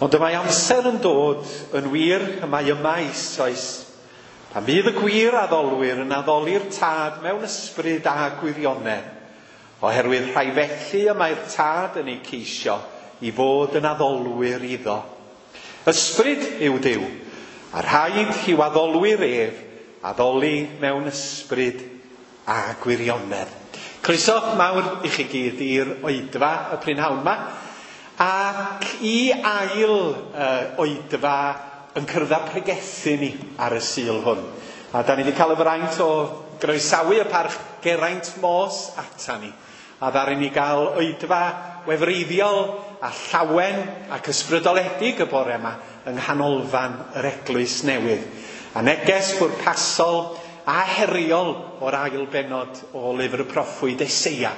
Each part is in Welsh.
Ond y mae amser yn dod yn wir, y mae yma eisoes, pan fydd y gwir addolwyr yn addoli'r Tad mewn ysbryd a gwirionedd, oherwydd rhai felly y mae'r Tad yn eu ceisio i fod yn addolwyr iddo. Ysbryd yw Duw, a rhaid i'w addolwyr ef addoli mewn ysbryd a gwirionedd. Croeso mawr i chi gyd i'r oedfa y prynhawn 'ma, ac i ail oedfa yn cyrraedd pregethu ni ar y Sul hwn. A da ni wedi cael y fraint o groesawu y parch Geraint Morse ata ni. A ddaru ni gael oedfa wefreiddiol a llawen ac ysbrydoledig y bore yma yng nghanolfan yr Eglwys Newydd. A neges bwrpasol a heriol o'r ail bennod o lyfr y proffwyd Eseia.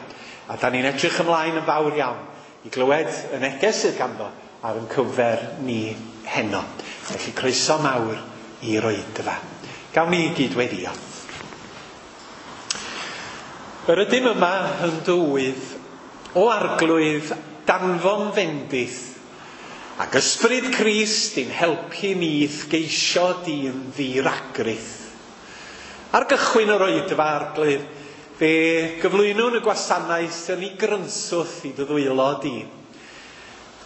A da ni'n edrych ymlaen yn fawr iawn i glywed y neges sydd ganddo ar ein cyfer ni heno. Felly croeso mawr i'r oedfa. Gawn ni gyd weddio. Yr ydym yma yn dywydd o Arglwydd danfon fendith ac ysbryd Crist i'n helpu ni i'th geisio di'n ddiragrith. Ar gychwyn yr oedfa, Arglwydd, fe gyflwynwn y gwasanaeth yn ei grynswth i dy ddwylo di.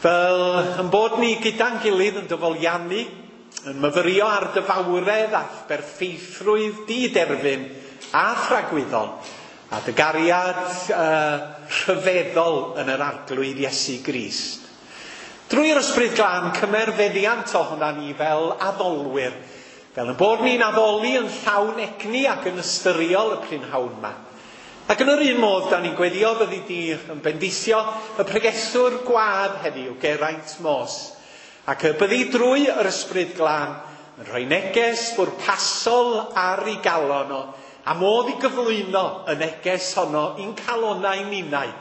Fel yn bod ni gyda'n gilydd yn dyfoliannu, yn myfyrio ar dy fawredd a berffeithrwydd di-derfyn a thragwyddol, a dy gariad rhyfeddol yn yr Arglwydd Iesu Grist. Drwy'r Ysbryd Glân, cymer feddiant ohonan ni fel addolwyr, fel yn bod ni'n addoli yn llawn egni ac yn ystyriol y prynhawn yma. Ac yn yr un modd, da ni'n gweddio fyddi di yn bendithio y pregethwr gwadd heddiw, Geraint Morse, ac y byddi drwy yr Ysbryd Glân yn rhoi neges bwrpasol ar ei galon o, a modd i gyflwyno y neges honno i'n calonau ninnau,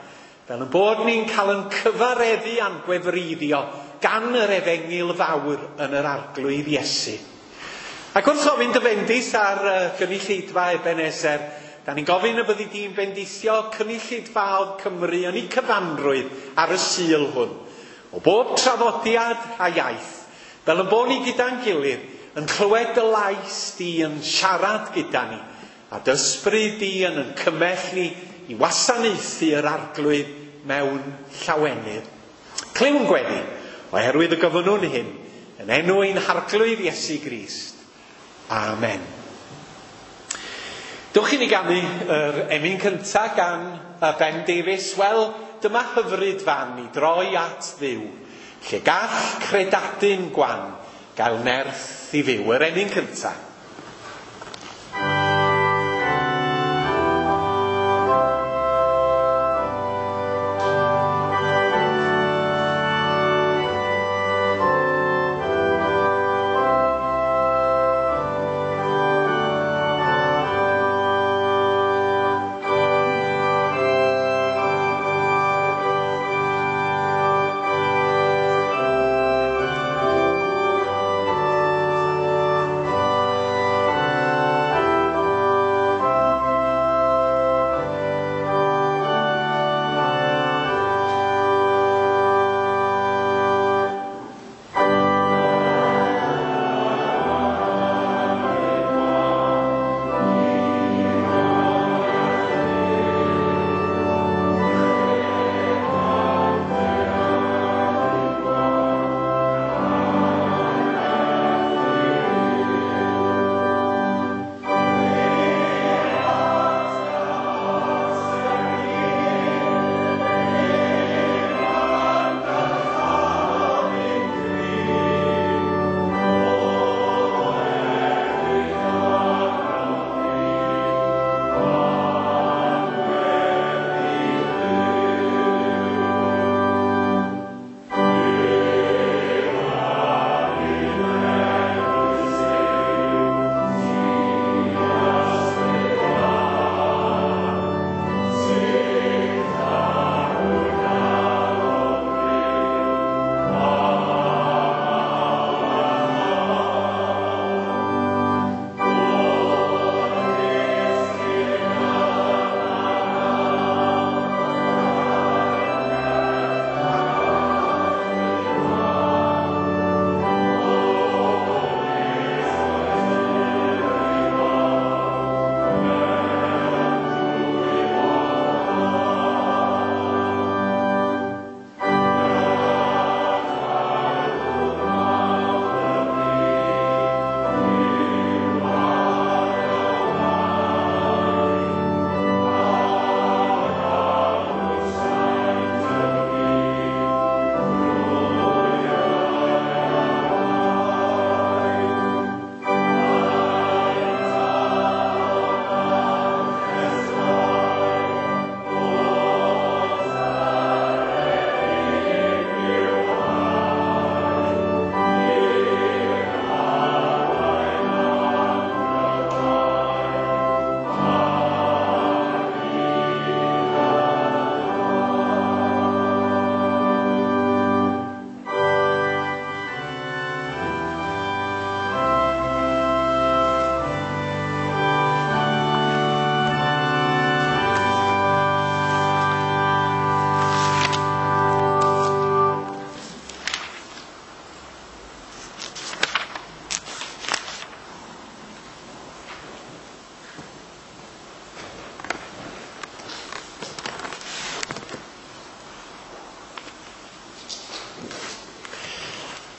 fel yn bod ni'n cael yn cyfareddu a'n gwefreiddio gan yr efengyl fawr yn yr Arglwydd Iesu. Ac wrth ofyn dy fendith ar gynulleidfa Ebenezer, da ni'n gofyn y byddi di'n bendithio cynulleidfaoedd Cymru yn eu cyfanrwydd ar y Sul hwn, o bob traddodiad a iaith, fel yn bod ni gyda'n gilydd yn clywed dy lais di yn siarad gyda ni, a dy ysbryd di yn yn cymell ni i wasanaethu yr Arglwydd mewn llawenydd. Clywn gweddi, oherwydd y gofynnwn hyn, yn enw ein Harglwydd Iesu Grist. Amen. Dewch i ni ganu yr emyn cyntaf gan Ben Davies. Wel, dyma hyfryd fan i droi at Dduw, lle gall credadun gwan gael nerth i fyw. Yr emyn cyntaf.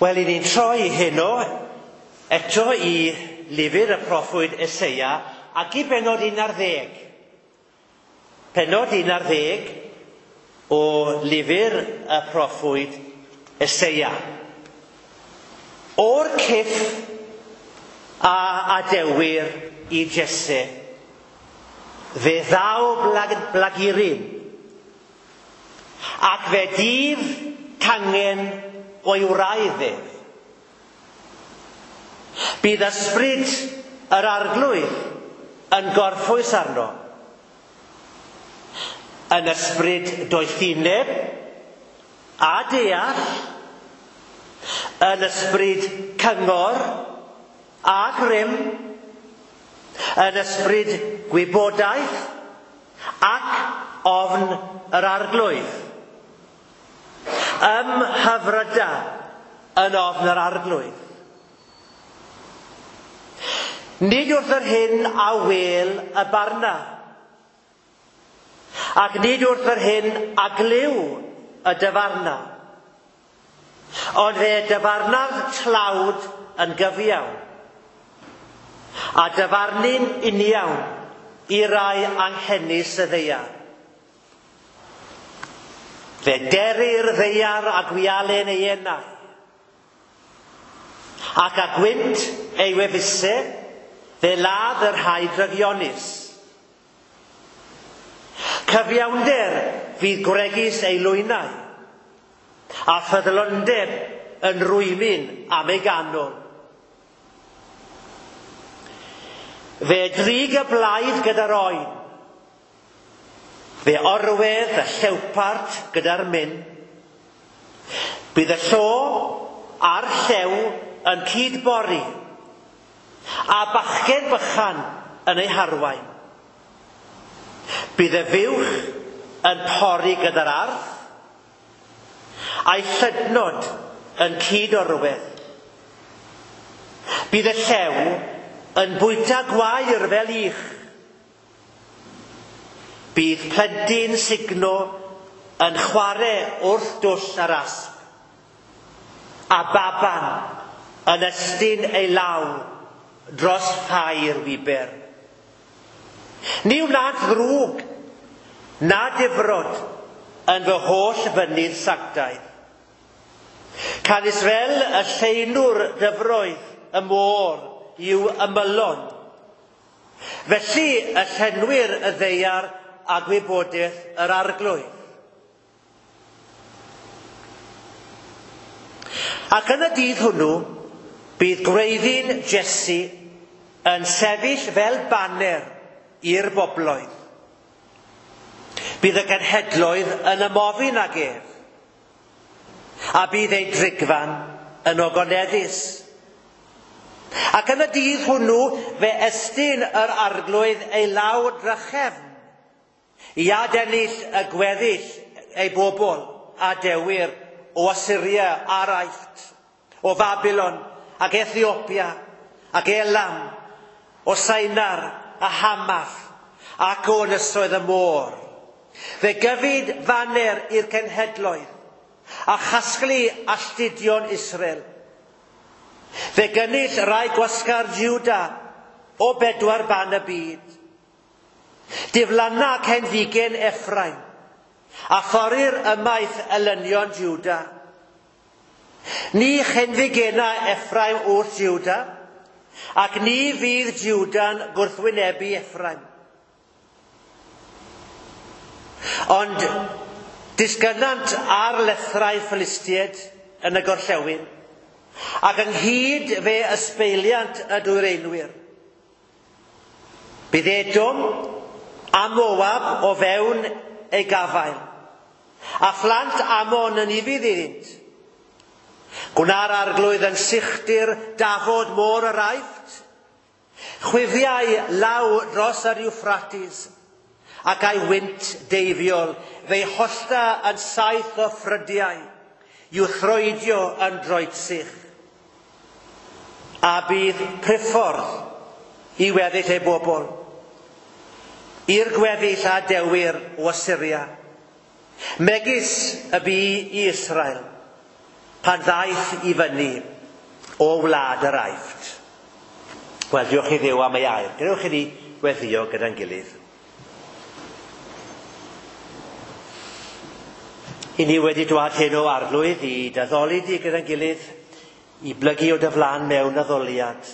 Wel, i ni'n troi heno eto i lyfr y proffwyd Eseia ac i bennod 11. Pennod 11 o lyfr y proffwyd Eseia. O'r cyff a adewir i Jesse, fe ddaw blagurin, ac fe dyf cangen o'i wraidd ef. Bydd ysbryd yr arglwydd yn gorffwys arno, yn ysbryd doethineb a deall, yn ysbryd cyngor a grym, yn ysbryd gwybodaeth ac ofn yr arglwydd. Ymhyfryda yn ofn yr arglwydd. Nid wrth yr hyn a wel y barna, ac nid wrth yr hyn a glyw y dyfarna, ond fe dyfarna'r tlawd yn gyfiawn, a dyfarnu'n uniawn i rai anghenus y ddaear. Fe derir ddaear a gwialen ei enau, ac a gwynt ei wefusau, fe ladd y rhai drygionus. Cyfiawnder fydd gwregys ei lwynau, a ffyddlondeb yn rwymyn am ei ganol. Fe drig y blaidd gyda'r oen, fe orwedd y llewpart gyda'r myn. Bydd y llo a'r llew yn cydbori, a bachgen bychan yn ei harwain. Bydd y fuwch yn pori gyda'r arth, a'i llydnod yn cyd-orwedd. Bydd y llew yn bwyta gwair fel ych. Bydd plentyn sugno yn chwarae wrth dwll yr asp, a baban yn estyn ei law dros ffair wiber. Ni wnaed ddrwg na difrod yn fy holl fynydd sanctaidd. Canys fel y llenwr dyfroedd y môr i'w ymylon, felly y llenwir y ddaear a gwybodaeth yr arglwydd. Ac yn y dydd hwnnw, bydd gwreiddyn Jesse yn sefyll fel baner i'r bobloedd. Bydd y genhedloedd yn ymofyn ag ef, a bydd ei drigfan yn ogoneddus. Ac yn y dydd hwnnw fe estyn yr arglwydd ei law drachefn i adennill y gweddill ei bobl a dewir o Asyria a'r Aifft, o Fabilon ac Ethiopia ac Elam, o Sainar a Hamath ac o ynysoedd y môr. Fe gyfyd faner i'r cenhedloedd a chasglu alltudion Israel. Fe gynnull rai gwasgar Juda o bedwar ban y byd. Diflanna cenfigen Ephraim a thorir ymaith elynion Juda. Ni chenfigena Ephraim wrth Juda, ac ni fydd Juda'n gwrthwynebu Ephraim. Ond disgynnant ar lethrau Philistiaid yn y gorllewin, ac ynghyd fe ysbeiliant y dwyreinwyr. Bydd Edom a Moab o fewn ei gafael, a phlant Amon yn ufudd iddynt. Gwna'r arglwydd yn sychdir dafod môr yr Aifft, chwifiau law dros yr Euphrates, ac a'i wynt deifiol fe'i hollta yn saith o ffrydiau, i'w throedio yn droedsych. A bydd priffordd i weddill ei bobl, i'r gweddill a dewir o Asyria, megis y bu i Israel, pan ddaeth i fyny o wlad yr Aifft. Wel, diolch i Dduw am ei air. Gadewch i ni weddïo gyda'n gilydd. I ni wedi dwad heno Arglwydd i d'addoli di gyda'n gilydd, i blygu o dy flan mewn addoliad.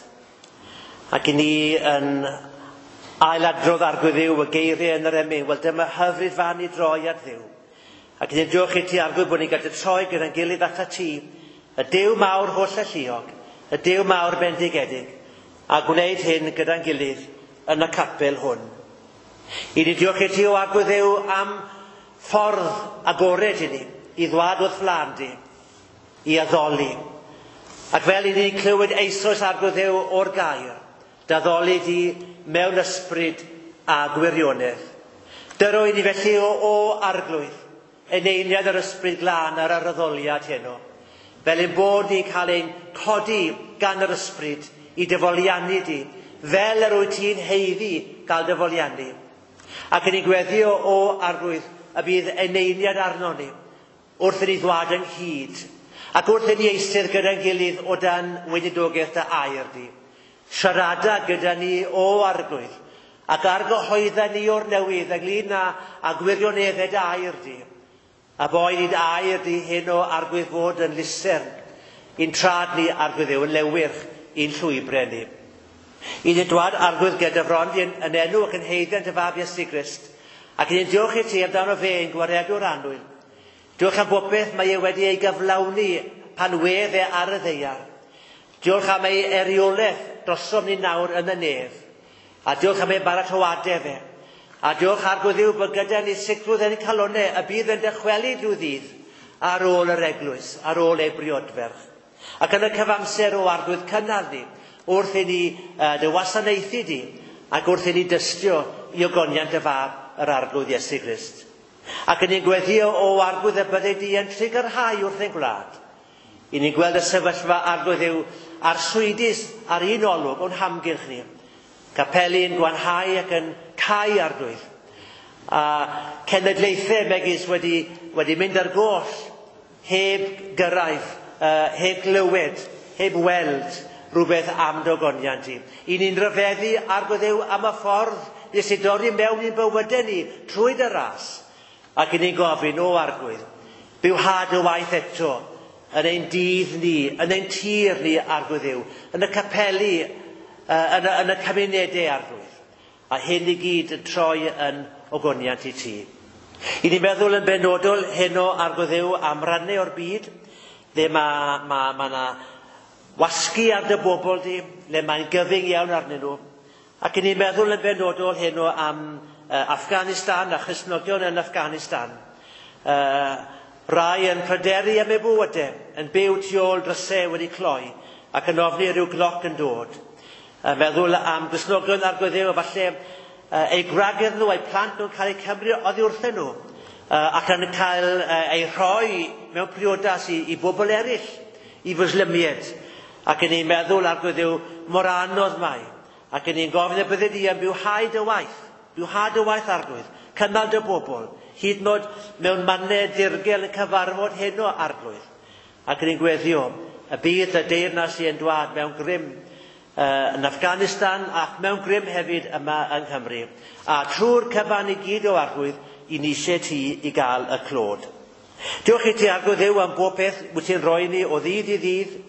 Ac i ni yn ailadrodd Arglwydd Dduw y geiriau yn yr emyn, wel dyma hyfryd fan i droi at Dduw. Ac i ni'n diolch i ti Arglwydd bod ni'n gallu troi gyda'n gilydd atat ti, y Duw mawr holl alluog, y Duw mawr bendigedig, a gwneud hyn gyda'n gilydd yn y capel hwn. I ni diolch i ti o Arglwydd Dduw am ffordd agored i ni, i ddwad wrth flan di, i addoli. Ac fel i ni clywed eisoes Arglwydd Dduw o'r gair, d'addoli di mewn ysbryd a gwirionedd. Dyro i ni felly o Arglwydd, eneiniad yr ysbryd glân ar yr addoliad heno, fel ein bod ni'n cael ein codi gan yr ysbryd i dyfoliannu di, fel yr wyt ti'n haeddu gael dyfoliannu. Ac yn ei gweddio o Arglwydd y bydd eneiniad arno ni wrth i ni ddwad ynghyd, ac wrth i ni eistedd gyda'n gilydd o dan weinidogaeth dy air di. Siarada gyda ni o Arglwydd, ac argyhoedda ni o'r newydd ynglyn â gwirioneddau dy air di. A boed i'n air di heno Arglwydd fod yn lusern i'n trad ni Arglwydd Dduw, yn lewyrch i'n llwybrau ni. I ni'n dwad Arglwydd gyda fron di yn enw ac yn haeddiant dy fab Iesu Grist, ac i ni'n diolch i ti amdano fe ein gwaredwr annwyl. Diolch am bopeth mae e wedi ei gyflawni pan wedd e ar y ddaear. Diolch am ei eriolaeth drosom ni nawr yn y nef. A diolch am ei baratoadau fe. A diolch Arglwydd Dduw bod gyda ni sicrwydd yn ein calonnau y bydd yn dychwelyd rhyw ddydd ar ôl yr eglwys, ar ôl ei briodferch. Ac yn y cyfamser o Arglwydd cynnal ni wrth i ni dy wasanaethu di ac wrth i ni dystio i ogoniant y fab yr Arglwydd Iesu Grist. Ac yn ni'n gweddio o Arglwydd y bydde di yn trugarhau wrth ein gwlad. I ni'n gweld y sefyllfa Arglwydd Dduw arswydus ar un olwg o'n hamgylch ni. Capeli'n gwanhau ac yn cau Arglwydd. A cenedlaethau megis wedi mynd ar goll, heb gyrraedd, heb glywed, heb weld rhywbeth am dogoniant i. I ni'n rhyfeddu Arglwydd Dduw am y ffordd nes i dorri mewn i'n bywydau ni trwy dy ras. Ac i ni'n gofyn o Arglwydd, bywhad y waith eto yn ein dydd ni, yn ein tir ni Arglwydd Dduw, yn y capeli, yn y cymunedau Arglwydd. A hyn i gyd yn troi yn ogoniant i ti. I ni'n meddwl yn benodol heno Arglwydd Dduw am rannau o'r byd, le ma 'na wasgu ar dy bobl di, le mae'n gyfyng iawn arnyn nhw. Ac i ni'n meddwl yn benodol heno am Afghanistan a Christnogion yn Afghanistan. Rai yn pryderu am eu bywydau, yn byw tu ôl drysau wedi cloi ac yn ofni rhyw gloc yn dod. Meddwl am Gristnogion Arglwydd Dduw, falle eu gwragedd nhw, eu plant nhw'n cael eu cymryd oddi wrthyn nhw, ac yn cael eu rhoi mewn priodas i bobl eraill, i fwslimiaid. Ac yn ni'n meddwl Arglwydd Dduw mor anodd mae. Ac yn ni'n gofyn y bydde di yn bywhau dy waith, bywhau dy waith Arglwydd, cynnal dy bobl, hyd yn oed mewn mannau dirgel yn cyfarfod heno Arglwydd. Ac yn ni'n gweddio y bydd y deyrnas i yn dwad mewn grym yn Afghanistan ac mewn grym hefyd yma yng Nghymru. A trwy'r cyfan i gyd o Arglwydd, i ni eisiau ti i gael y clod. Diolch i ti Arglwydd Dduw am bob peth wyt ti'n rhoi ni o ddydd i ddydd.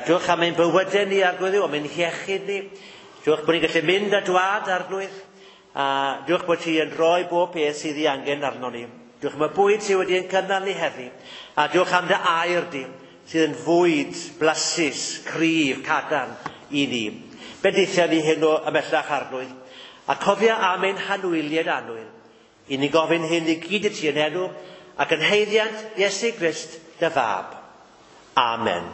Diolch am ein bywydau ni Arglwydd Dduw, am ein hiechyd ni. Diolch bod ni'n gallu mynd a dwad Arglwydd. A diolch bod ti yn rhoi bob peth sydd ei angen arno ni. Diolch am y bwyd sydd wedi ein cynnal ni heddi. A diolch am dy air di, sydd yn fwyd blasus, cryf, cadarn i ni. Bendithia ni heno ymhellach Arglwydd. A cofia am ein hanwyliaid annwyl. I ni gofyn hyn i gyd i ti yn enw ac yn haeddiant Iesu Grist dy fab. Amen.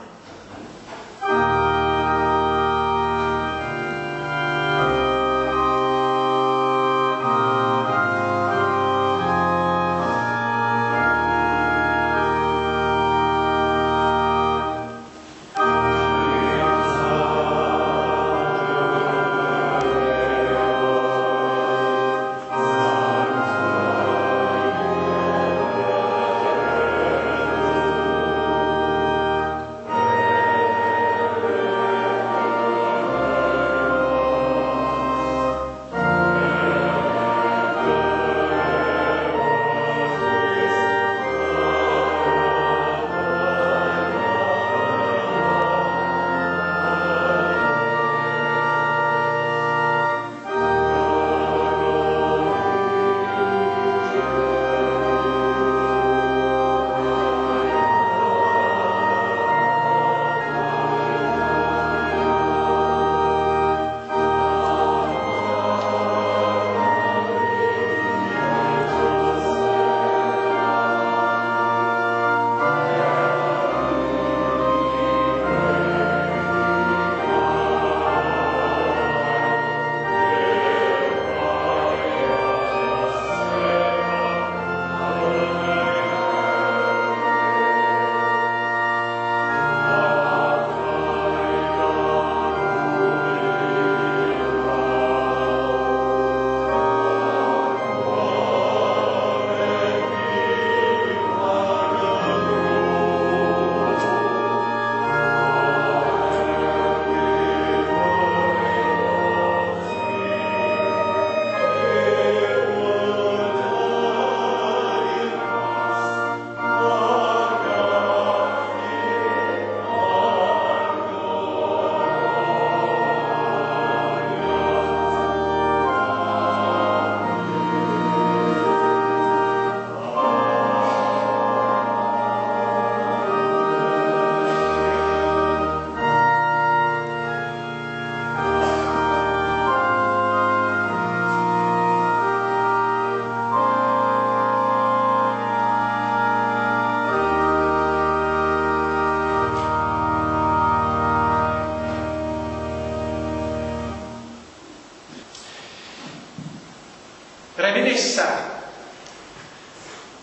Yr emyn nesaf,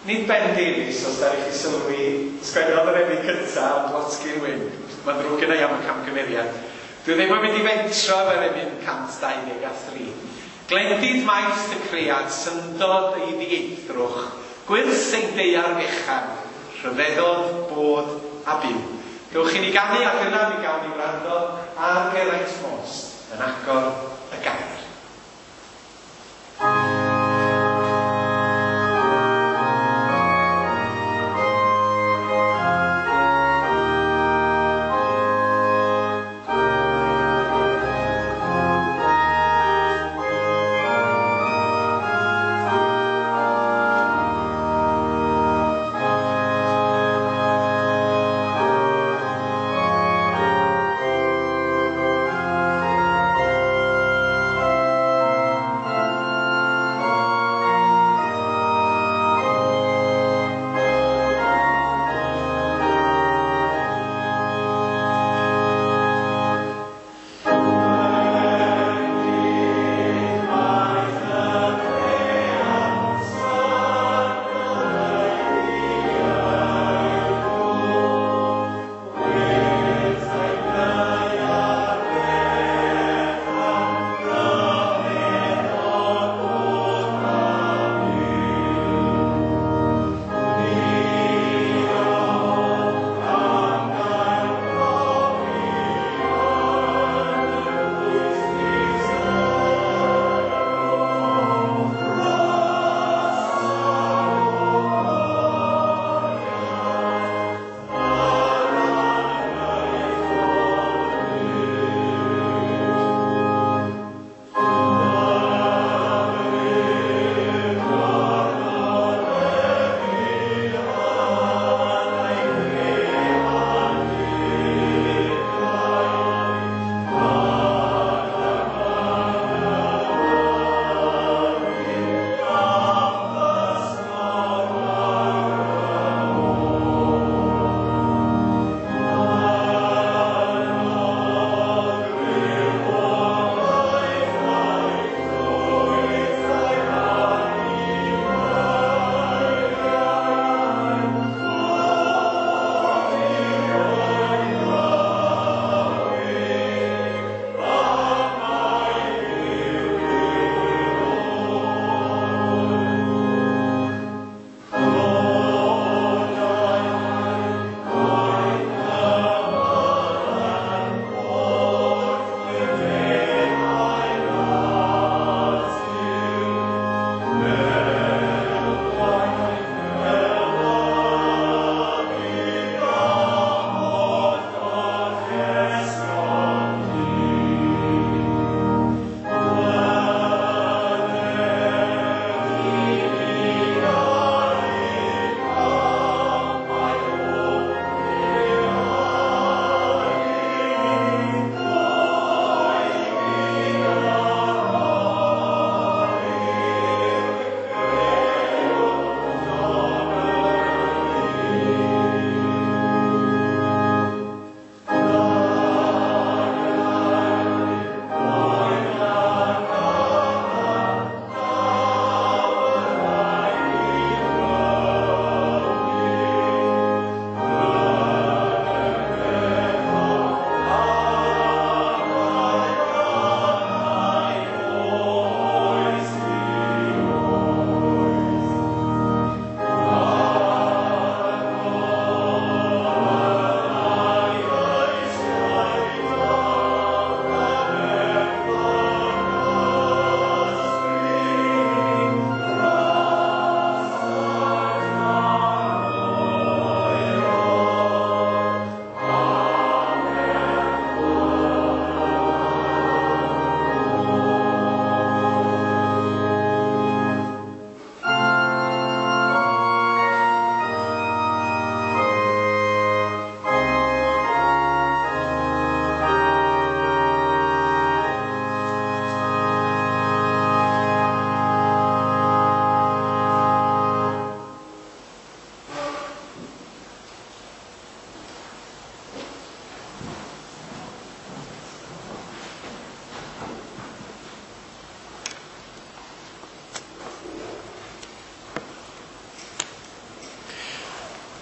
nid Ben Davies, os da chi sylwi, sgwennodd yr emyn cyntaf, ond Watkin Wyn. Mae'n ddrwg gen i am y camgymeriad. Dwi ddim yn mynd i fentro efo'r emyn 123. Glendid maith y cread, syndod ei ddieithrwch, gwyrth ein deiar fechan, rhyfeddod, bod a byw. Gewch chi ni ganu ac yna mi gawn ni wrando ar Geraint Most yn agor y gair.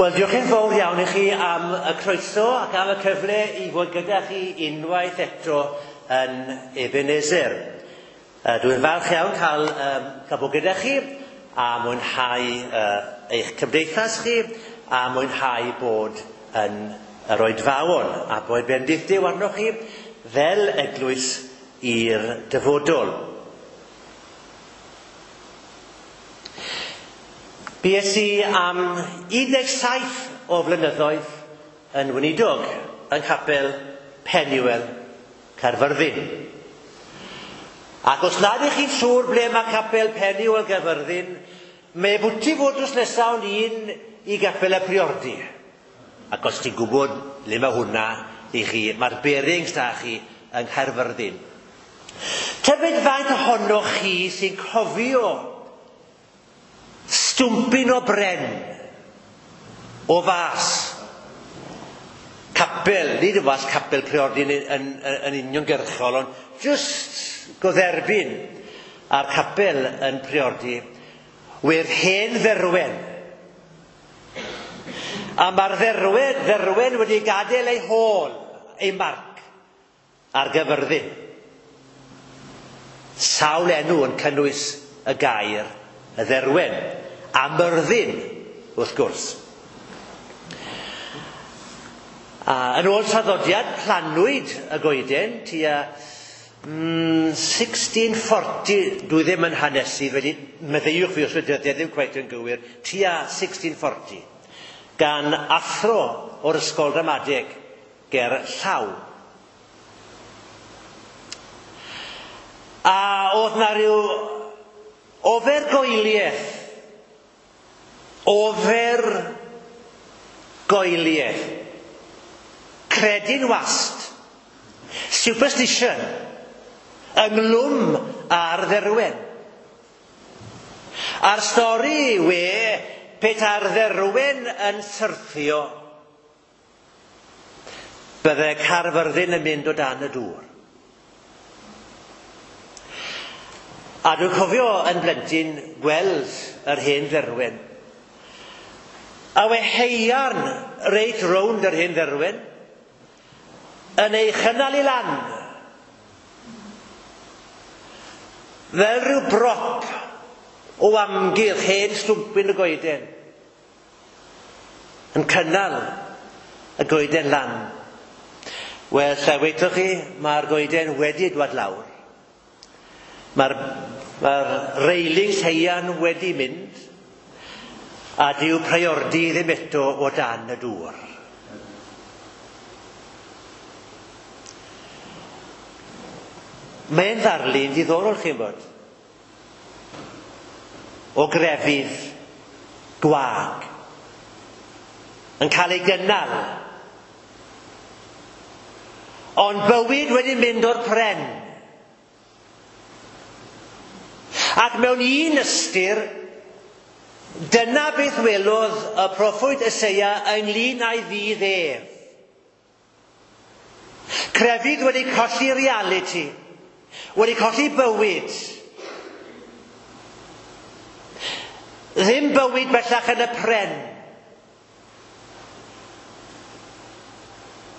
Wel, diolch yn fawr iawn i chi am y croeso ac am y cyfle i fod gyda chi unwaith eto yn Ebenezer. Dwi'n falch iawn cael bod gyda chi a mwynhau eich cymdeithas chi a mwynhau bod yn yr oedfaon a bod bendith Duw arnoch chi fel eglwys i'r dyfodol. Bues i am 17 o flynyddoedd yn weinidog yng Nghapel Penuel, Caerfyrddin. Ac os nad ych chi'n siŵr ble mae Capel Penuel Caerfyrddin, mae bwti fod drws nesaf ond un i Gapel y Priordy. Ac os ti'n gwybod le mae hwnna i chi, mae'r bearings da chi yng Nghaerfyrddin. Tybed faint ohonoch chi sy'n cofio stwmpyn o bren o fas capel, nid o fas capel Priordy yn uniongyrchol, ond just godderbyn a'r capel yn Priordy, wedd hen dderwen. A mae'r dderwen wedi gadael ei hôl, ei marc, ar Gyfyrddin. Sawl enw yn cynnwys y gair y dderwen, a Myrddin, wrth gwrs. A yn ôl traddodiad, planwyd y goeden tua 1640, dwi ddim yn hanesu, felly meddeiwch fi os ydy dyddiad ddim cweit yn gywir, tua 1640, gan athro o'r ysgol ramadeg ger Llaw. A oedd na rhyw ofergoeliaeth, credin wast, superstition, ynglwm ar dderwen. A'r stori we, petai'r dderwen yn syrthio, bydde Caerfyrddin yn mynd o dan y dŵr. A dwi'n cofio yn blentyn gweld yr hen dderwen. A we heiarn reit rownd yr hen dderwen yn ei chynnal i lan. Fel rhyw brop o amgylch hen stwmpyn y goeden. Yn cynnal y goeden lan. Wel, lle weithoch chi, mae'r goeden wedi dwad lawr. Mae'r railings heian wedi mynd, a dyw Priordy ddim eto o dan y dŵr. Mae'n ddarlun diddorol, chi'n bod, o grefydd gwag yn cael ei gynnal, ond bywyd wedi mynd o'r pren. Ac mewn un ystyr, dyna beth welodd y proffwyd Eseia ynglyn â'i ddydd ef. Crefydd wedi colli reality, wedi colli bywyd. Ddim bywyd bellach yn y pren.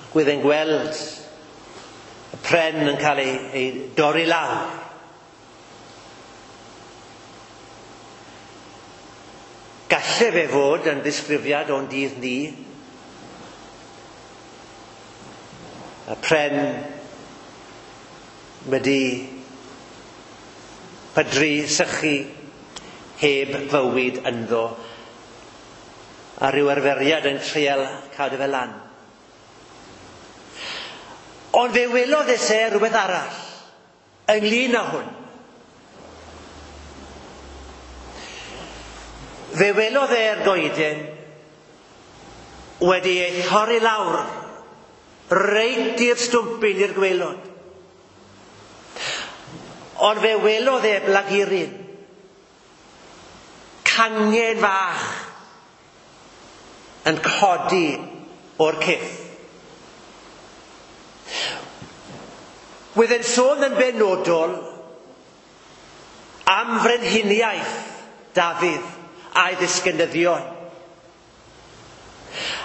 Ac wedd e'n gweld y pren yn cael ei dorri lawr. Galle fe fod yn ddisgrifiad o'n dydd ni. Y pren wedi pydru, sychu, heb fywyd ynddo, a rhyw arferiad yn treial cadw fe lan. Ond fe welodd Eseia rhywbeth arall ynglyn â hwn. Fe welodd e'r goeden wedi ei thorri lawr reit i'r stwmpyn i'r gwaelod. Ond fe welodd e blaguryn, cangen fach yn codi o'r cyff. Wedd e'n sôn yn benodol am frenhiniaeth Dafydd a'i ddisgynyddion.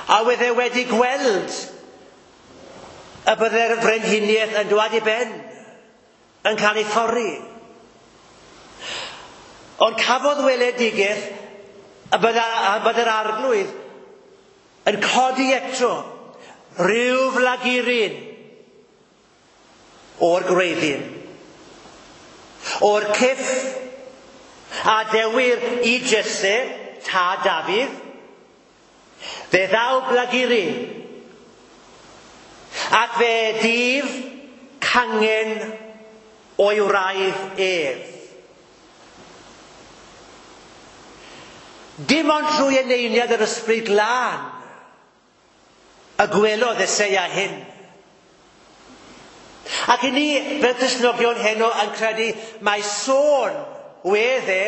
A wedd e wedi gweld y bydde'r frenhiniaeth yn dwad i ben, yn cael ei thorri. Ond cafodd weledigaeth y bydde'r arglwydd yn codi eto rhyw flaguryn o'r gwreiddyn, o'r cyff a dewir i Jesse, tad Dafydd, fe ddaw blaguryn, ac fe dif cangen o'i wraidd ef. Dim ond trwy eneiniad yr ysbryd glân y gwelodd Eseia hyn. Ac i ni, fel Cristnogion heno, yn credu mai sôn wedd e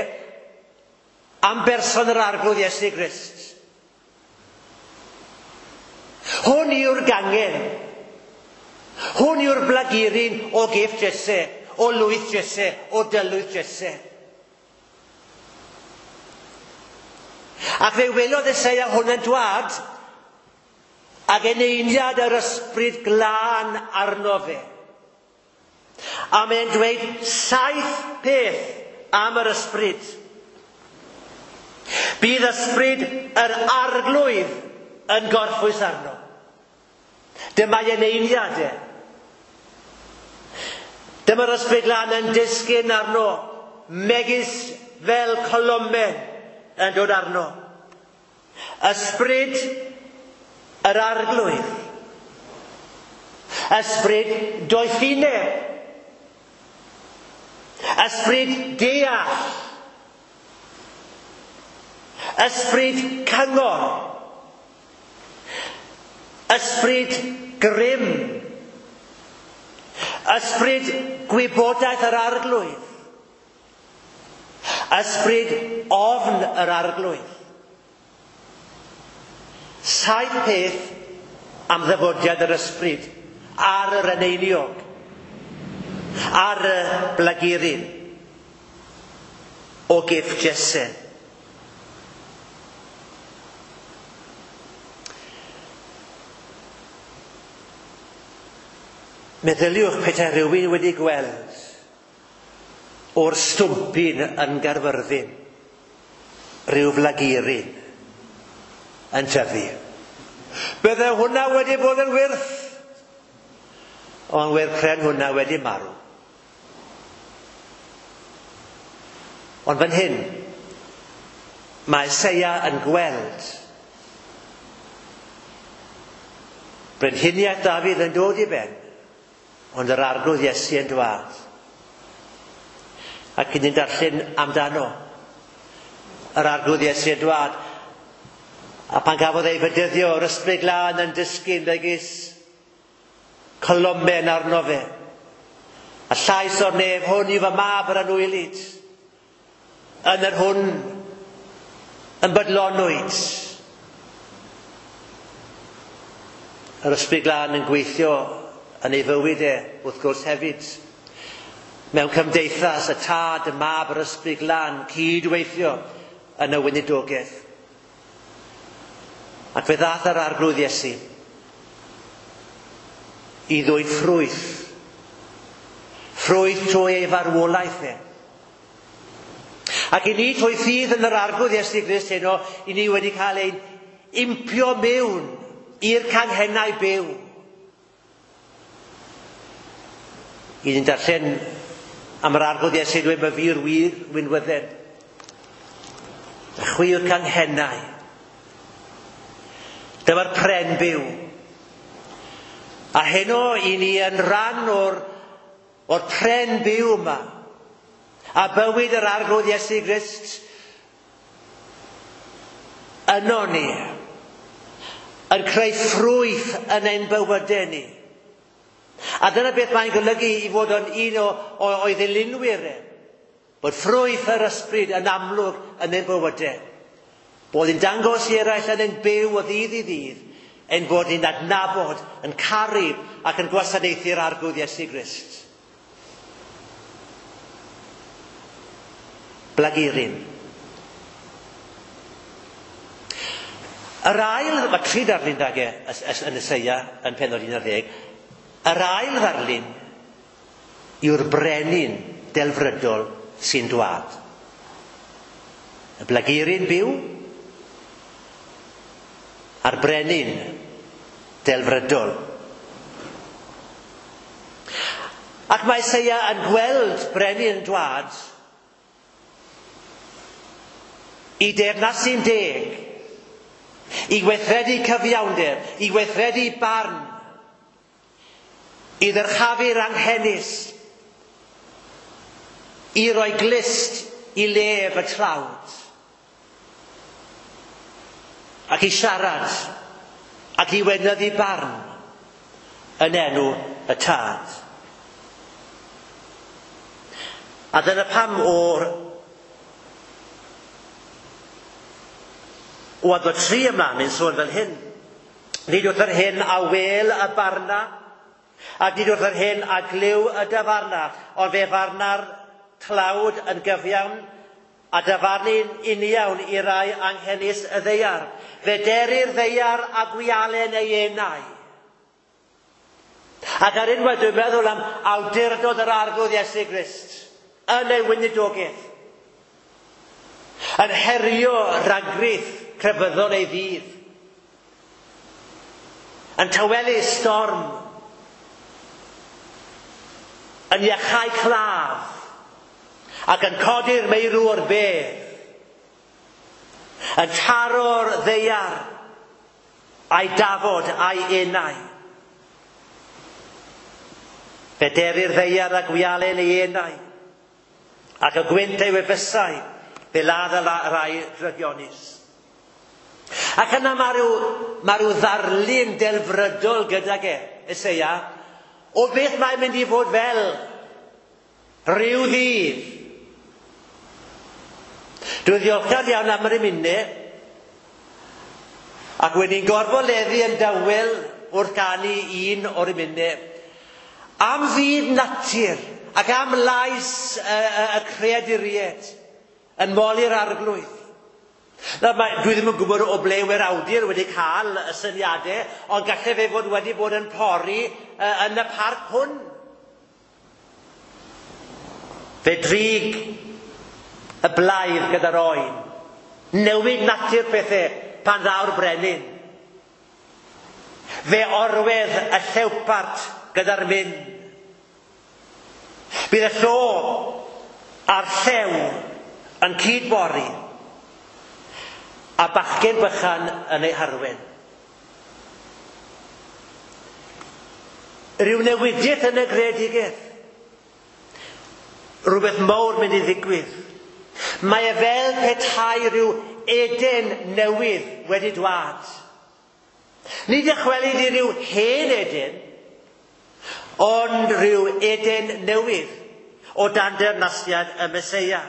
am berson yr Arglwydd Iesu Grist. Hwn yw'r gangen. Hwn yw'r blaguryn o gyff Jesse, o lwyth Jesse, o dylwyth Jesse. Ac fe welodd Eseia hwn yn dwad ac eneiniad yr ysbryd glân arno fe. A mae'n dweud 7 peth am yr ysbryd. Bydd ysbryd yr arglwydd yn gorffwys arno. Dyma'i eneiniad e. Dyma'r ysbryd glân yn disgyn arno, megis fel colomen yn dod arno. Ysbryd yr arglwydd. Ysbryd doethineb. Ysbryd deall. Ysbryd cyngor. Ysbryd grym. Ysbryd gwybodaeth yr arglwydd. Ysbryd ofn yr arglwydd. 7 peth am ddyfodiad yr ysbryd ar yr eneiniog, ar y blaguryn o gyff Jesse. Meddyliwch petai rhywun wedi gweld o'r stwmpyn yn Gaerfyrddin, rhyw flaguryn yn tyfu. Bydde hwnna wedi bod yn wyrth, ond wedd pren hwnna wedi marw. Ond fan hyn, mae Eseia yn gweld brenhiniaeth Dafydd yn dod i ben, ond yr arglwydd Iesu yn dwad. Ac yn darllen amdano, yr arglwydd Iesu yn dwad, a pan gafodd ei fedyddio, yr ysbryd glân yn disgyn megis colomen arno fe. A llais o'r nef, hwn yw fy mab yr anwylyd, yn yr hwn yn bodlonwyd. Yr ysbryd glân yn gweithio yn ei fywyd e, wrth gwrs hefyd. Mewn cymdeithas, y tad, y mab, yr ysbryd glân, cydweithio yn y weinidogaeth. Ac fe ddath yr arglwydd Iesu i ddwyn ffrwyth. Ffrwyth trwy ei farwolaeth e. Ac i ni trwy ffydd yn yr arglwydd Iesu Grist heno, i ni wedi cael ein impio mewn i'r canghennau byw. I ni'n darllen am yr arglwydd Iesu dweud mae fi'r wir winwydden. Y chwi yw'r canghennau. Dyma'r pren byw. A heno i ni yn rhan o'r pren byw yma. A bywyd yr arglwydd Iesu Grist yno ni. Yn creu ffrwyth yn ein bywydau ni. A dyna beth mae'n golygu i fod yn un o'i ddilynwyr e. Bod ffrwyth yr ysbryd yn amlwg yn ein bywydau. Bod yn dangos i eraill yn ein byw o ddydd i ddydd, ein bod ni'n adnabod, yn caru ac yn gwasanaethu'r arglwydd Iesu Grist. Blaguryn. Yr ail, mae tri darlun dag e yn Eseia yn pennod 11, yr ail ddarlun yw'r brenin delfrydol sy'n dwad. Y blaguryn byw a'r brenin delfrydol. Ac mae Eseia yn gweld brenin yn dwad i deyrnasu'n deg, i weithredu cyfiawnder, i weithredu barn, i ddyrchafu'r anghenus, i roi glust i lef y tlawd, ac i siarad, ac i weinyddu barn yn enw y Tad. A dyna pam o'r o adnod 3 ymlaen, mae'n sôn fel hyn. Nid wrth yr hyn a wel y barna, ac nid wrth yr hyn a glyw y dyfarna, ond fe farna'r tlawd yn gyfiawn, a dyfarnu'n uniawn i rai anghenus y ddaear. Fe derir ddaear a gwialen ei enau. Ac ar unwaith dwi'n meddwl am awdurdod yr Arglwydd Iesu Grist yn ei weinidogaeth, yn herio rhagrith crefyddol ei ddydd, yn tawelu storm, yn iachau claf, ac yn codi'r meirw o'r bedd, yn taro'r ddaear a'i dafod a'i enau. Fe derir ddaear a gwialen ei enau, ac y gwynt ei wefusau, fe ladd y rai drygionus. Ac yna mae rhyw ddarlun delfrydol gydag e, Eseia, o beth mae'n mynd i fod fel rhyw ddydd. Dwi'n ddiolchgar iawn am yr emynau, ac wedi'n gorfoleddu yn dawel wrth ganu un o'r emynau, am fyd natur ac am lais y creaduriaid yn moli'r Arglwydd. Nawr, dwi ddim yn gwybod o ble we'r awdur wedi cael y syniadau, ond gallai fe fod wedi bod yn pori yn y parc hwn. Fe drig y blaidd gyda'r oen, newid natur pethau pan ddaw'r brenin. Fe orwedd y llewpart gyda'r myn. Bydd y llo a'r llew yn cydbori, a bachgen bychan yn ei harwen. Rhyw newidiaeth yn y greadigaeth. Rhywbeth mawr mynd i ddigwydd. Mae e fel petai rhyw Eden newydd wedi dwad. Nid dychwelyd i ryw hen Eden, ond rhyw Eden newydd o dan deyrnasiad y Meseia.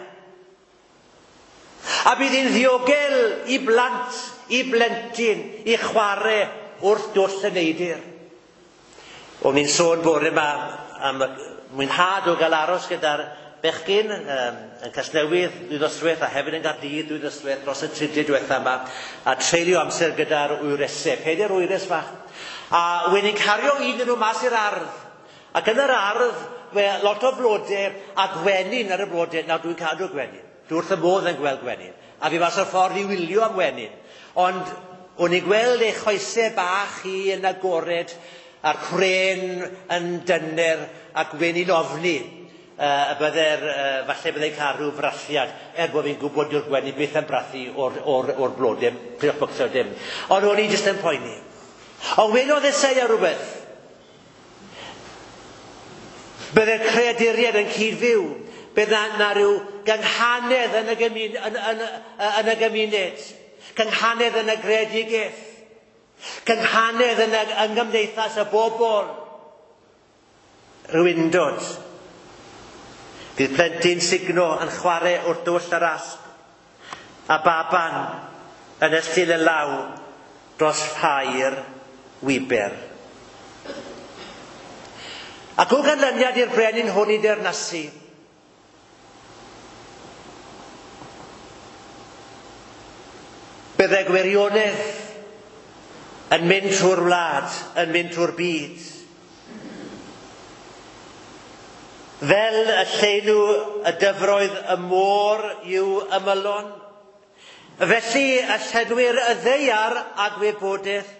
A bydd hi'n ddiogel i blant, i blentyn, i chwarae wrth dwll y neidir. O'n i'n sôn bore yma am y mwynhad o gael aros gyda'r bechgyn yn Casnewydd dwy ddoswaith a hefyd yn Gaerdydd dwy ddoswaith dros y tridiau diwetha yma, a treulio amser gyda'r wyresau, pedair wyres fach. A wedi'n ni'n cario un nhw mas i'r ardd. Ac yn yr ardd, lot o flodau a gwenyn ar y blodau. Nawr dwi'n cadw gwenyn. Dwi wrth y modd yn gweld gwenyn. A fi mas o'r ffordd i wylio am wenyn. Ond o'n i'n gweld ei choesau bach hi yn agored a'r cwren yn dyner ac weni'n ofni y bydde'r, falle byddai'n cael rhyw frathiad, er bod fi'n gwybod dyw'r gwenyn byth yn brathu o'r blodau, peidiwch becso dim. Ond o'n i jyst yn poeni. Ond welodd Eseia rhywbeth. Bydde'r creaduriaid yn cyd-fyw. Bydde na rhyw gynghanedd yn y gymuned. Cynghanedd yn y greadigaeth. Cynghanedd yn yng nghymdeithas y bobl. Rhyw undod. Bydd plentyn sugno yn chwarae wrth dwll yr asp, a baban yn estyn y law dros ffair wiber. Ac o ganlyniad i'r brenin hwn i deyrnasu, bydde gwirionedd Yn mynd trwy'r wlad, yn mynd trwy'r byd. Fel y llenw y dyfroedd y môr i'w ymylon, felly y llenwir y ddaear a gwybodaeth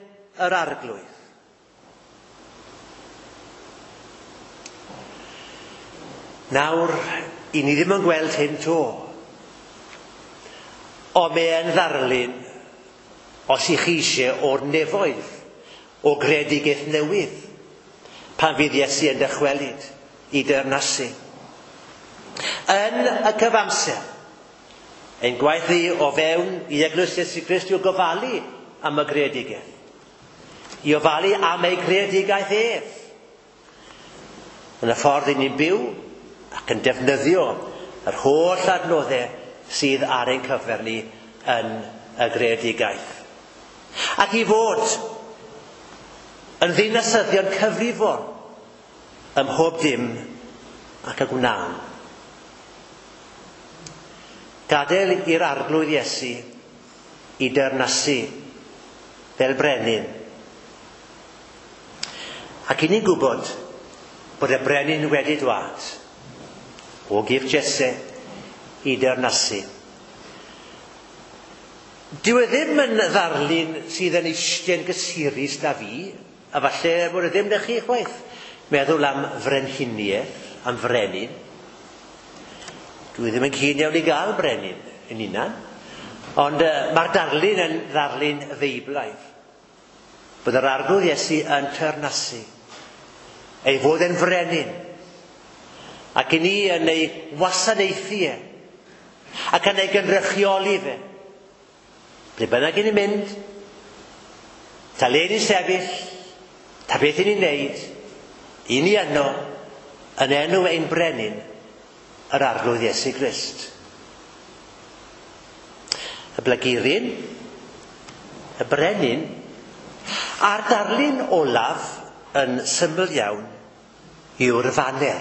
yr Arglwydd. Nawr, i ni ddim yn gweld hyn 'to. Ond mae e'n ddarlun, os i chi eisiau, o'r nefoedd, o greadigaeth newydd, pan fydd Iesu yn dychwelyd i deyrnasu. Yn y cyfamser, ein gwaith ni o fewn i Eglwys Iesu Grist yw gofalu am y greadigaeth. I ofalu am ei greadigaeth ef. Yn y ffordd i ni'n byw ac yn defnyddio yr holl adnoddau sydd ar ein cyfer ni yn y greadigaeth. Ac i fod yn ddinasyddion cyfrifol ym mhob dim ac y gwnawn. Gadael i'r Arglwydd Iesu i deyrnasu fel brenin. Ac i ni'n gwybod bod y brenin wedi dwad o gyff Jesse i deyrnasu. Dyw e ddim yn ddarlun sydd yn eistedd gysurus da fi, a falle bod e ddim na chi chwaith. Meddwl am frenhiniaeth, am frenin. Dwi ddim yn keen iawn i gael brenin yn hunan, ond mae'r darlun yn ddarlun Feiblaidd. Bod yr Arglwydd Iesu yn teyrnasu, ei fod yn frenin, ac i ni yn ei wasanaethu e, ac yn ei gynrychioli fe. Ble bynnag i ni'n mynd, ta le ni'n sefyll, ta beth i ni'n neud, i ni yno, yn enw ein brenin, yr Arglwydd Iesu Grist. Y blaguryn, y brenin, a'r darlun olaf yn syml iawn yw'r faner.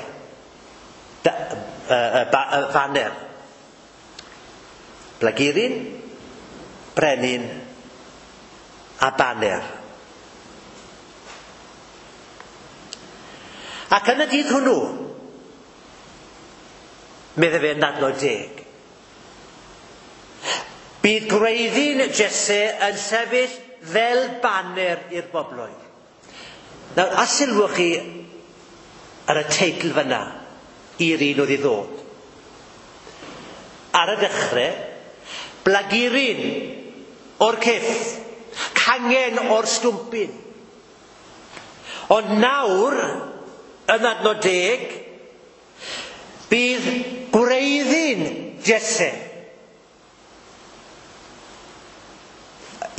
Y faner. Blaguryn, brenin a baner. Ac yn y dydd hwnnw, medde fe yn adnod 10, bydd gwreiddyn Jesse yn sefyll fel baner i'r bobloedd. Nawr, a sylwch chi ar y teitl fyna i'r un oedd i ddod. Ar y dechrau, blaguryn o'r cyff, cangen o'r stwmpyn. Ond nawr, yn adnod 10, bydd gwreiddyn Jesse.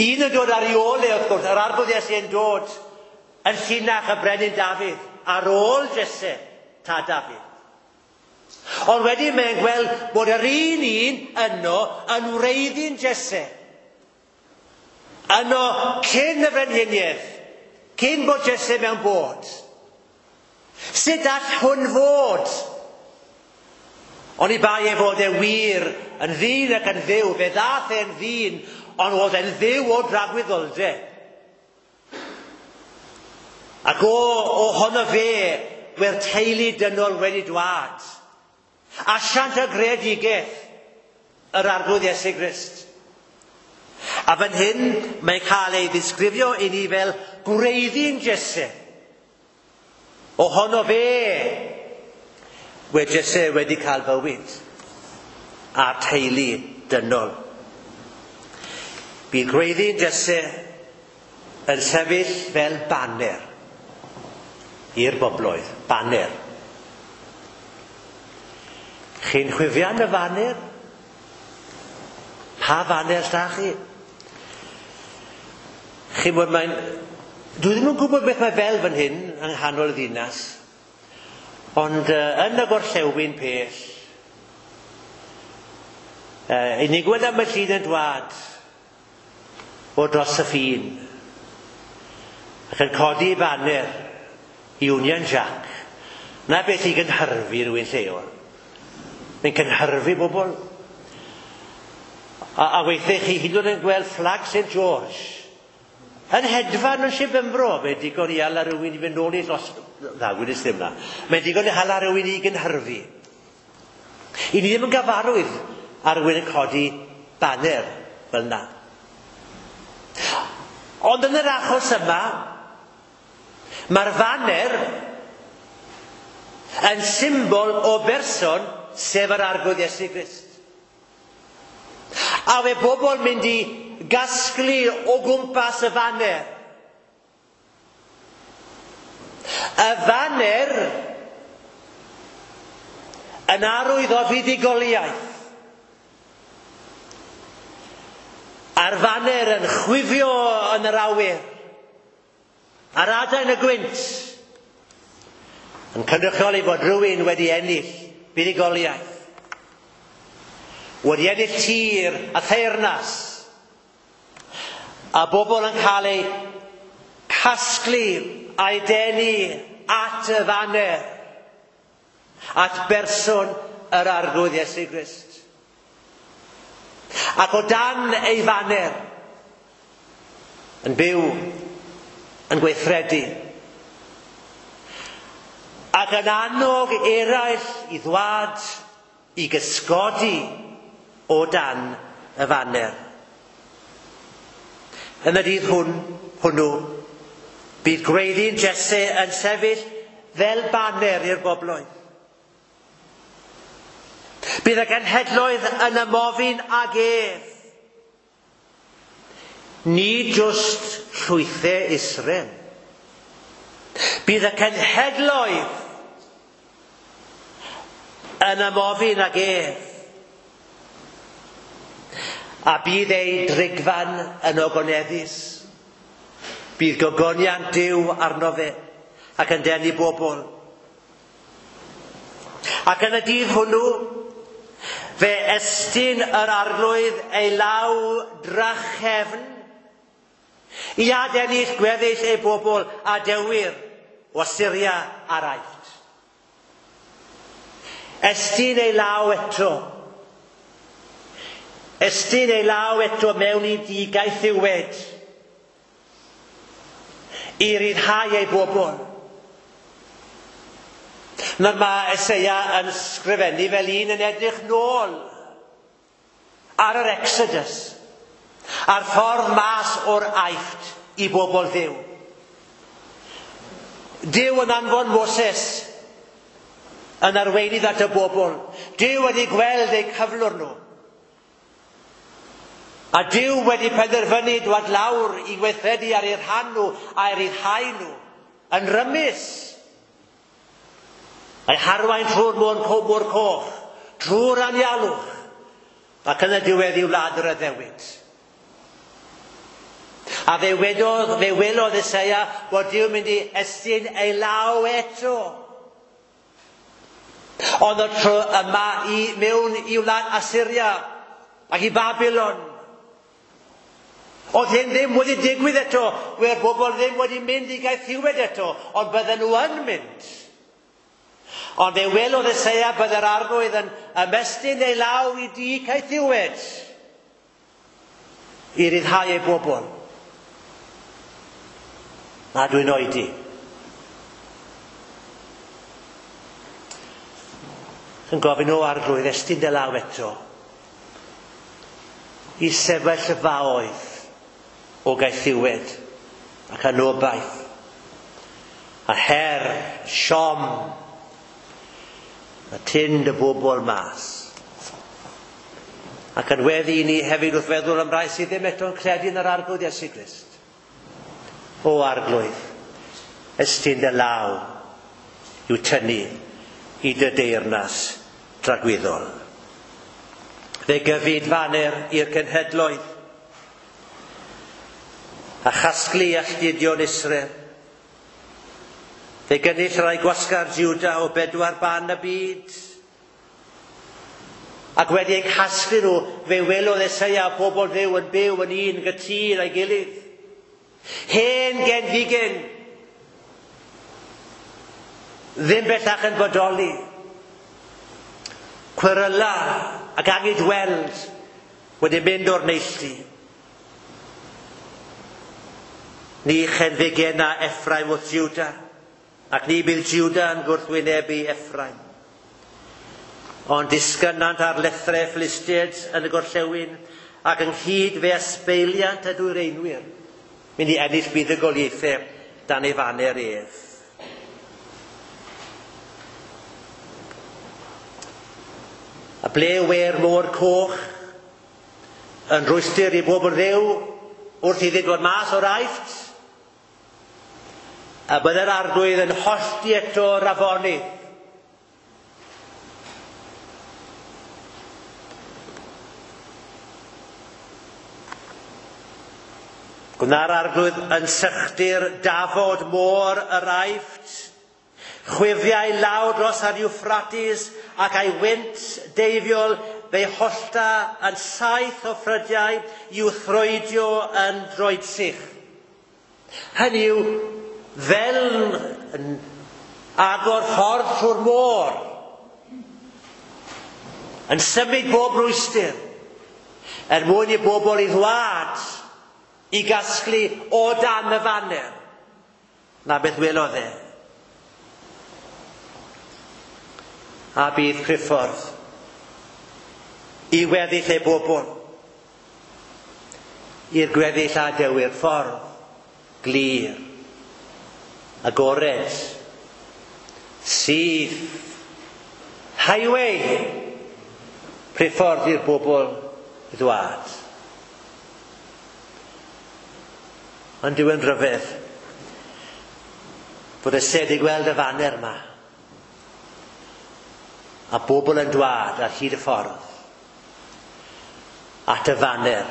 Un yn dod ar ei ôl e, wrth gwrs, yr Arglwydd Iesu yn dod yn llinach y brenin Dafydd, ar ôl Jesse, tad Dafydd. Ond wedyn mae'n gweld bod yr un yno yn wreiddyn Jesse. Yno cyn y frenhiniaeth, cyn bod Jesse mewn bod. Sut all hwn fod? Oni bai ei fod e wir yn ddyn ac yn dduw, fe ddath e'n ddyn, ond oedd e'n dduw o dragwyddoldeb. Ac ohono fe, we'r teulu dynol wedi dwad. Asiant y greadigaeth, yr Arglwydd Iesu Grist. A fan hyn, mae'n cael ei ddisgrifio i ni fel gwreiddyn Jesse. Ohono fe, we Jesse wedi cael bywyd a'r teulu dynol. Bydd gwreiddyn Jesse yn sefyll fel baner i'r bobloedd. Baner. Chi'n chwifian y faner? Pa faner sta chi? Chi'n bod mae'n... Dwi ddim yn gwybod beth mae fel fan hyn yng nghanol y ddinas, ond yn y gorllewin pell, i ni'n gweld am y llun yn dwad o dros y ffin ac yn codi baner Union Jack. Na beth i gynhyrfu rhywun lleol. Mae'n cynhyrfu bobl. A weithiau chi hyd yn oed yn gweld fflag St George Yn hedfan yn Sir Benfro, mae'n digon i hala rhywun i fynd nôl i dros... Na, wedys ddim na. Mae'n digon i hala rhywun i gynhyrfu. I ni ddim yn gyfarwydd ar rhywun yn codi baner fel na. Ond yn yr achos yma, mae'r faner yn symbol o berson, sef yr Arglwydd Iesu Grist. A fe bobl mynd i gasglu o gwmpas y faner. Y faner yn arwydd o fuddugoliaeth. A'r faner yn chwifio yn yr awyr. Ar adain y gwynt. Yn cynrychioli bod rhywun wedi ennill buddugoliaeth. Wedi ennill tir a theyrnas. A bobl yn cael eu casglu a'i denu at y faner, at berson yr Arglwydd Iesu Grist. Ac o dan ei faner, yn byw, yn gweithredu, ac yn annog eraill i ddwad, i gysgodi o dan y faner. Yn y dydd hwnnw, bydd gwreiddyn Jesse yn sefyll fel baner i'r bobloedd. Bydd y genhedloedd yn ymofyn ag ef. Nid jyst llwythau Israel. Bydd y cenhedloedd yn ymofyn ag ef. A bydd ei drigfan yn ogoneddus. Bydd gogoniant Duw arno fe ac yn denu bobl. Ac yn y dydd hwnnw, fe estyn yr Arglwydd ei law drachefn i adennill gweddill ei bobl a dewyr o Asyria a'r Aifft. Estyn ei law eto. Estyn ei law eto mewn i digaethiwed i ryddhau ei bobl. Nawr mae Eseia yn sgrifennu fel un yn edrych nôl ar yr Exodus, a'r ffordd mas o'r Aifft i bobl Dduw. Duw yn anfon Moses yn arweinydd at y bobl. Duw wedi gweld eu cyflwr nhw. A Duw wedi penderfynu dwad lawr i gweithredu ar eu rhan nhw a'i ryddhau nhw yn rymus. A'i harwain trwy'r môr coch, trwy'r anialwch, ac yn y diwedd i wlad yr addewid. A fe welodd Eseia bod Duw mynd i estyn ei law eto. Ond y tro yma i mewn i wlad Asyria ac i Babylon. Oedd hyn ddim wedi digwydd eto, wedd bobl ddim wedi mynd i gaethiwed eto, ond bydden nhw yn mynd. Ond fe welodd Eseia bydde'r Arglwydd yn ymestyn ei law i di caethiwed i ryddhau ei bobl. Na, dwi'n oedi. Yn gofyn o Arglwydd, estyn dy law eto i sefyllfaoedd o gaethiwed ac anobaith a her, siom, a tyn dy bobl mas. Ac yn weddi i ni hefyd wrth feddwl am rai sydd ddim eto'n credu yn yr Arglwydd Iesu Grist. O Arglwydd, estyn dy law i'w tynnu i dy deyrnas dragwyddol. Fe gyfyd faner i'r cenhedloedd a chasglu alltudion Israel. Fe gynnull rai gwasgar Juda o bedwar ban y byd. Ac wedi eu casglu nhw, fe welodd Eseia pobl Dduw yn byw yn un gytûn a'i gilydd. Hen genfigen, ddim bellach yn bodoli. Cweryla ac angyd weld wedi mynd o'r neilltu. Ni chenfigena Ephraim wrth Juda, ac ni bydd Juda yn gwrthwynebu Ephraim. Ond disgynant ar lethrau Philistiaid yn y gorllewin, ac ynghyd fe ysbeiliant y dwyreinwyr, mynd i ennill buddugoliaethau dan ei faner ef. A ble we'r môr coch yn rwystr i bobl Dduw wrth iddi dod mas o'r Aifft? A bydde'r Arglwydd yn hollti eto'r afonydd. Gwna'r Arglwydd yn sychdir dafod môr yr Aifft, chwifiau lawr dros ar Euphrates ac a'i wynt deifiol fe'i hollta yn 7 o ffrydiau i'w throedio yn droedsych. Hynny yw, fel yn agor ffordd trwy'r môr, yn symud bob rwystr, er mwyn i bobl i ddwad i gasglu o dan y faner. Na beth welodd e. A bydd priffordd i weddill ei bobl, i'r gweddill a dewir ffordd glir, agored, syth, highway, priffordd i'r bobl ddwad. Ond yw yn rhyfedd bod y sed i gweld y faner yma a bobl yn dwad ar hyd y ffordd at y faner.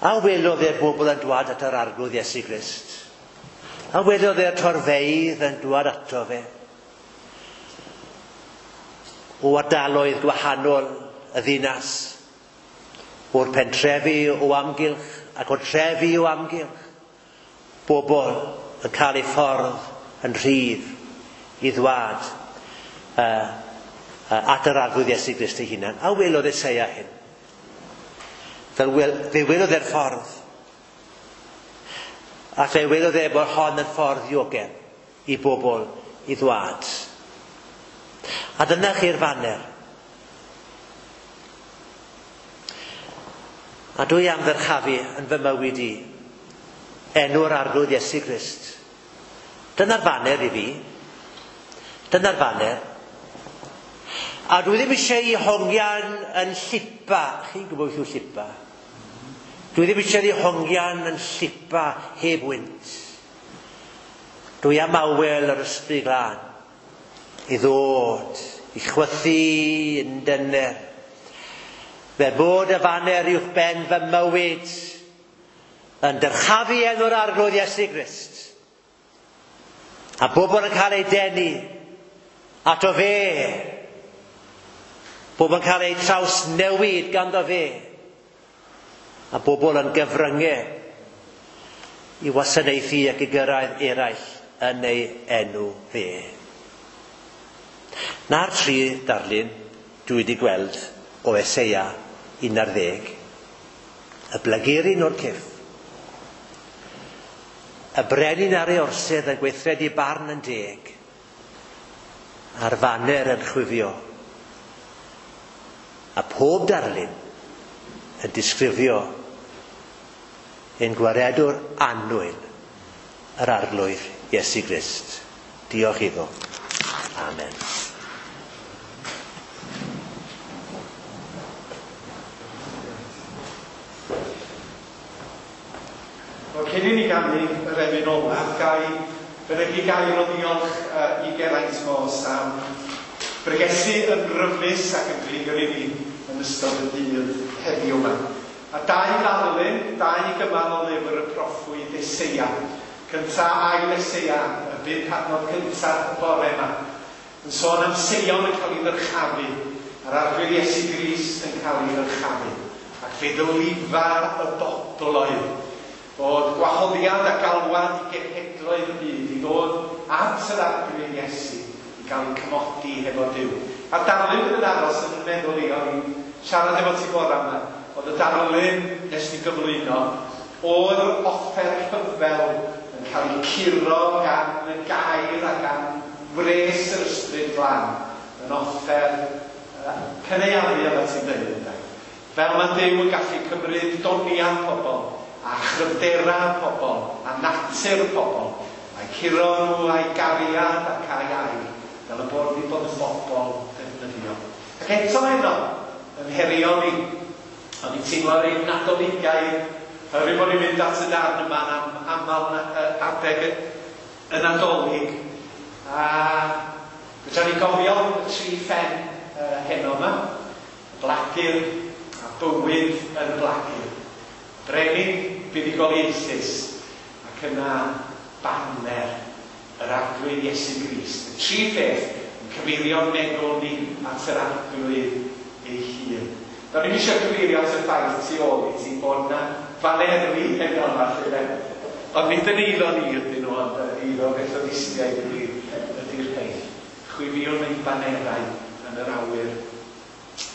A welodd e'r bobl yn dwad at yr Arglwydd Iesu Grist? A welodd e'r torfeydd yn dwad ato fe? O ardaloedd gwahanol y ddinas, o'r pentrefi o amgylch ac o'r trefi o amgylch, bobl yn cael eu ffordd yn rhydd i ddwad at yr Arglwydd Iesu Grist ei hunan. A welodd Eseia hyn. Fe welodd e'r ffordd. A fe welodd e bod hon yn ffordd ddiogel i bobl i ddwad. A dyna chi'r faner. A dwi am ddyrchafu yn fy mywyd i enw'r Arglwydd Iesu Grist. Dyna'r faner i fi. Dyna'r faner. A dwi ddim eisiau i hongian yn llipa. Chi'n gwybod beth yw llipa? Dwi ddim eisiau i hongian yn llipa heb wynt. Dwi am awel yr Ysbryd Glân i ddod, i chwythu yn dyner. Fe bod y faner uwch ben fy mywyd yn dyrchafu enw'r Arglwydd Iesu Grist. A bobl yn cael eu denu ato fe. Bobl yn cael eu trawsnewid ganddo fe. A bobl yn gyfryngau i wasanaethu ac i gyrraedd eraill yn ei enw fe. Na'r tri darlun dwi wedi gweld o Eseia 11. Y blaguryn o'r cyff. Y brenin ar ei orsedd yn gweithredu barn yn deg. A'r faner yn chwifio. A pob darlun yn disgrifio ein gwaredwr annwyl, yr Arglwydd Iesu Grist. Diolch iddo. Amen. Wel, cyn i ni ganu yr emyn olaf, gai fynegi gair o ddiolch i Geraint Moss am bregethu yn rymus ac yn glir i ni yn ystod y dydd heddiw yma. A dau ddarlun, dau gymal o lyfr y proffwyd Eseia. Cynta ail Eseia, y bum adnod cyntaf y bore yma, yn sôn am Seion yn cael ei ddyrchafu, a'r Arglwydd Iesu Grist yn cael ei ddyrchafu, ac fe ddylifa y bobloedd, bod gwahoddiad a galwad i genhedloedd y byd i ddod at yr Arglwydd Iesu i gael eu cymodi hefo Duw. A'r darlun fydd yn aros yn fy meddwl i, o'n i'n siarad efo ti bore yma, oedd y darlun nes di gyflwyno O'r offer rhyfel yn cael ei curo gan y gair a gan wres yr ysbryd glân yn offer cynaeafu fel ti'n dweud, ynde? Fel mae Duw yn gallu cymryd doniau pobl a chryfderau pobl a natur pobl a'i curo nhw a'i gariad ac a'i air fel y bod ni bod yn bobl defnyddiol. Ac eto heno, yn herio ni, o'n i'n teimlo reit Nadoligaidd, oherwydd bod ni'n mynd at y darn yma am aml adeg y Nadolig. A fedra ni gofio y tri phen heno yma, y blagur a bywyd yn y blagur. Brenin buddugoliaethus ac yna baner yr Arglwydd Iesu Grist. Y tri pheth yn cyfeirio'n meddwl ni at yr Arglwydd ei hun. Do'n i'm eisiau cyfeirio at y ffaith tu ôl i ti bod 'na faneri heno yma 'lly de. Ond nid yn eiddo ni ydyn nhw, ond eiddo Methodistiaid ydy'r rhein. Chwifiwn ein banerau yn yr awyr.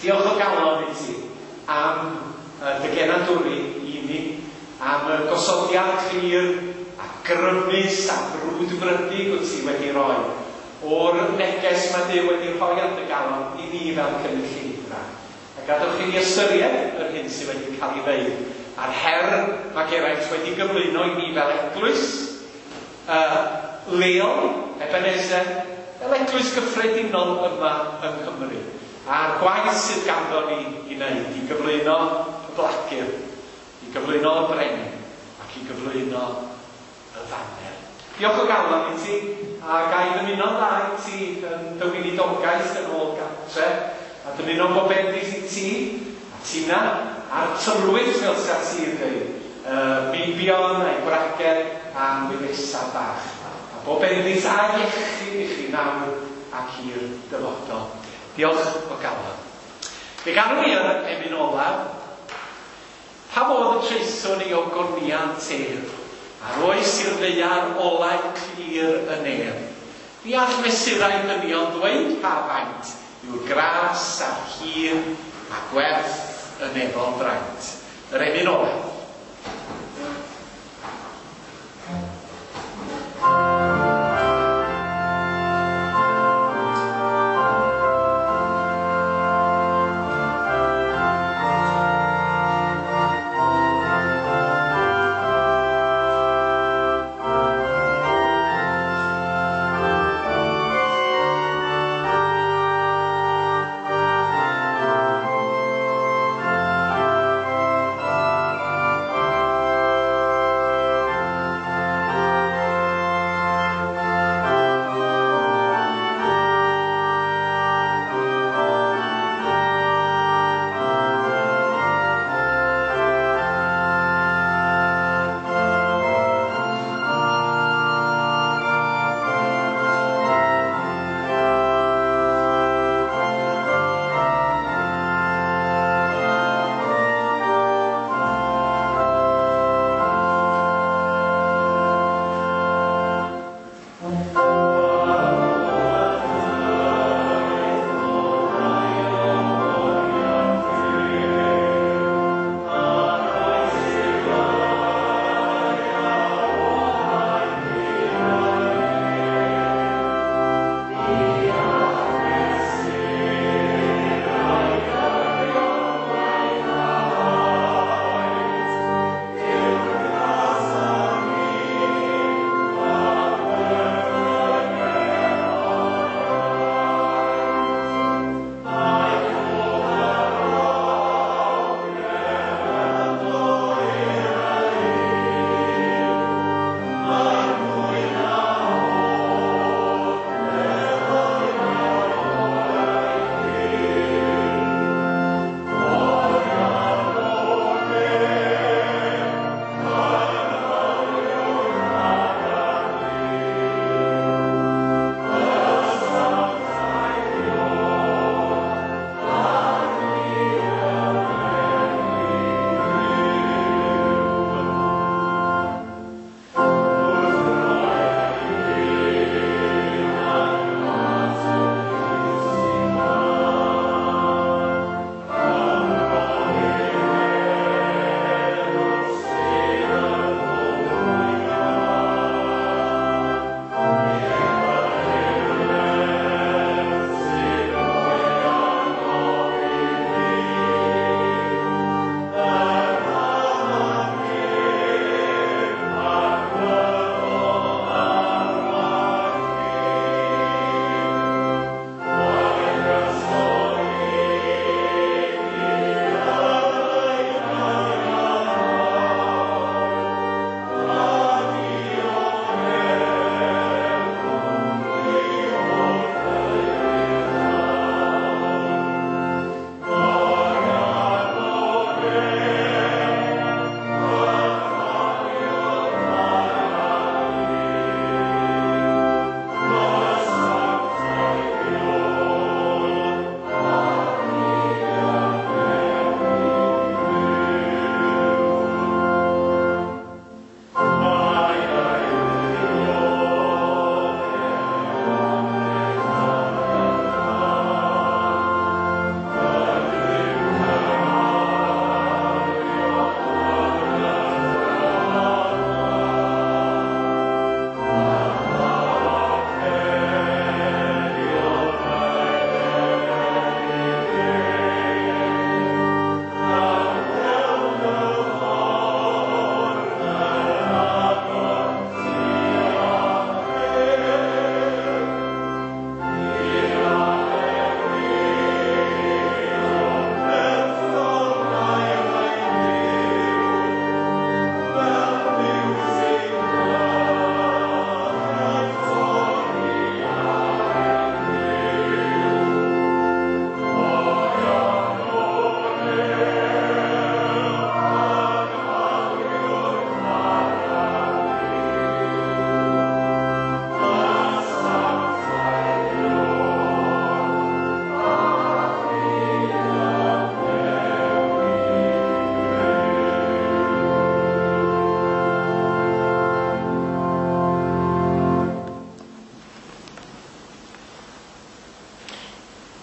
Diolch o galon i ti am dy genadwri i ni, am y gosodiad clir a grymus a brwdfrydig wyt ti wedi roi o'r neges mae Duw wedi rhoi ar dy galon i ni fel cynulleidfa. A gadewch i ni ystyried yr hyn sydd wedi cael ei ddeud a'r her mae Geraint wedi gyflwyno i ni fel eglwys leol, Ebenezer, fel eglwys gyffredinol yma yng Nghymru, a'r gwaith sydd ganddo ni i wneud i gyflwyno y blagur, i gyflwyno y brenin, ac i gyflwyno y faner. Diolch o galon i ti, a ga i ddymuno'n dda i ti yn dy weinidogaeth yn ôl gartre, a dymuno bob bendith i ti, a Tina, a'r tylwyth fel sa ti'n dweud, y meibion a'i gwragedd a'n wyresau bach. A bob bendith a iechyd i chi nawr ac i'r dyfodol. Diolch o galon. Fe ganwn ni yr emyn olaf. Pa fodd y traethwn i ogoniant ef, a'r oes i'r ddaear olau clir y nef? Ni all mesurau dynion ddweud pa faint yw'r gras a'r hir a gwerth y nefol fraint. Yr emyn olaf.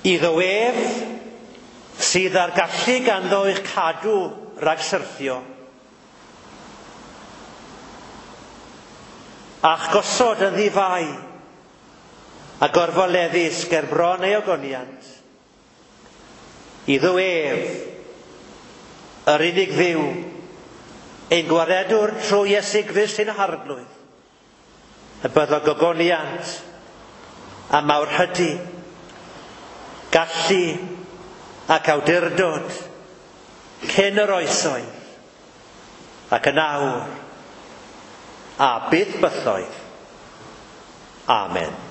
Iddo ef sydd â'r gallu ganddo eich cadw rhag syrthio, a'ch gosod yn ddifai a gorfoleddus ger bron ei ogoniant. Iddo ef, yr unig Dduw, ein gwaredwr trwy Iesu Grist ein Harglwydd, y byddo gogoniant a mawrhydi, gallu ac awdurdod cyn yr oesoedd ac yn awr a byth bythoedd. Amen.